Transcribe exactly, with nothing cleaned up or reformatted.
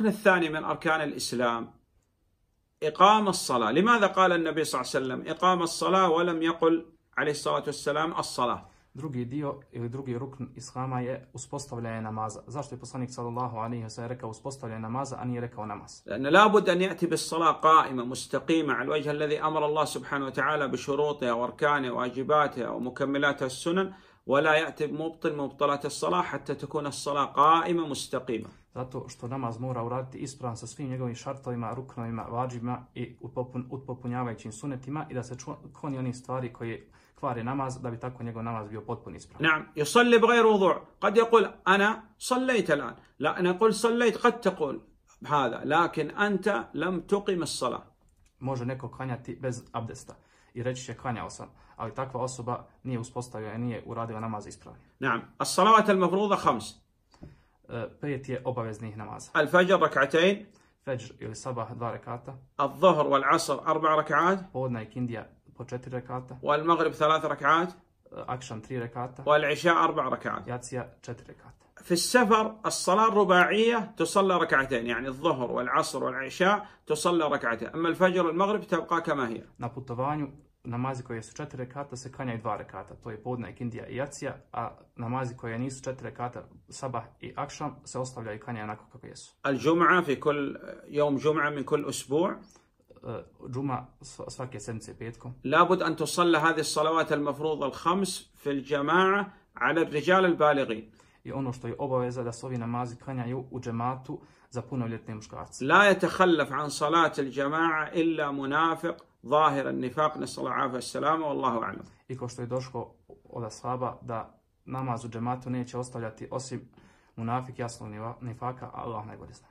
الركن الثاني من أركان الإسلام إقام الصلاة. لماذا قال النبي صلى الله عليه وسلم إقام الصلاة ولم يقل عليه الصلاة والسلام الصلاة؟ Drugi dio ili drugi rukn islama je uspostavljanje namaza. Zašto je poslanik sallallahu alejhi ve sellem rekao uspostavljanje namaza, a nije rekao namaz? لأن لابد أن يأتي بالصلاة قائمة مستقيمة على الوجه الذي أمر الله سبحانه وتعالى بشروطها وأركانها وواجباتها ومكملاتها السنن، ولا يأتي بمبطل مبطلات الصلاة حتى تكون الصلاة قائمة مستقيمة. Zato što namaz mora uraditi ispravan sa svim njegovim šartovima, ruknovima, vađibima i upotpunjavajućim sunetima i da se kloni onih stvari koje kvare namaz da bi tako njegov namaz bio potpuno ispravan. نعم يصلي بغير وضوء. قد يقول أنا صليت الآن. لا أنا أقول صليت قد تقول هذا لكن أنت لم تقم الصلاة. Može neko klanjati bez abdesta i reći će klanjao sam, ali takva osoba nije uspostavila i nije uradila namaz ispravno. نعم الصلوات المفروضة خمس. Pet je obaveznih namaza. الفجر ركعتين. Fajr ili sabah dva rekata. الظهر والعصر أربع ركعات. Podne i kindija po četiri rekata. والمغرب ثلاث ركعات. Akšam tri rekata. والعشاء أربع ركعات. Jacija četiri rekata. في السفر الصلاة الرباعية تصلى ركعتين، يعني الظهر والعصر والعشاء تصلى ركعتين، أما الفجر والمغرب تبقى كما هي. Na putovanju namazi koje su četiri rekata se klanjaju dva rekata, to je podne, kindija i jacija, a namazi koje nisu četiri rekata, sabah i akšam, se ostavljaju i klanjaju onako kako jesu. الجمعة في كل يوم جمعة من كل أسبوع. Džuma svake sedmice petkom. لابد أن تصلى هذه الصلوات المفروضة الخمس في الجماعة على الرجال البالغين. I ono što je obaveza da se ovi namazi klanjaju u džematu za punoljetne muškarce. لا يتخلف عن صلاة الجماعة إلا منافق ظاهر النفاق، نسأل الله العافية والسلامة والله أعلم. I ko što je došlo od ashaba da namaz u džematu neće ostavljati osim munafik jasnog nifaka, Allah najbolje zna.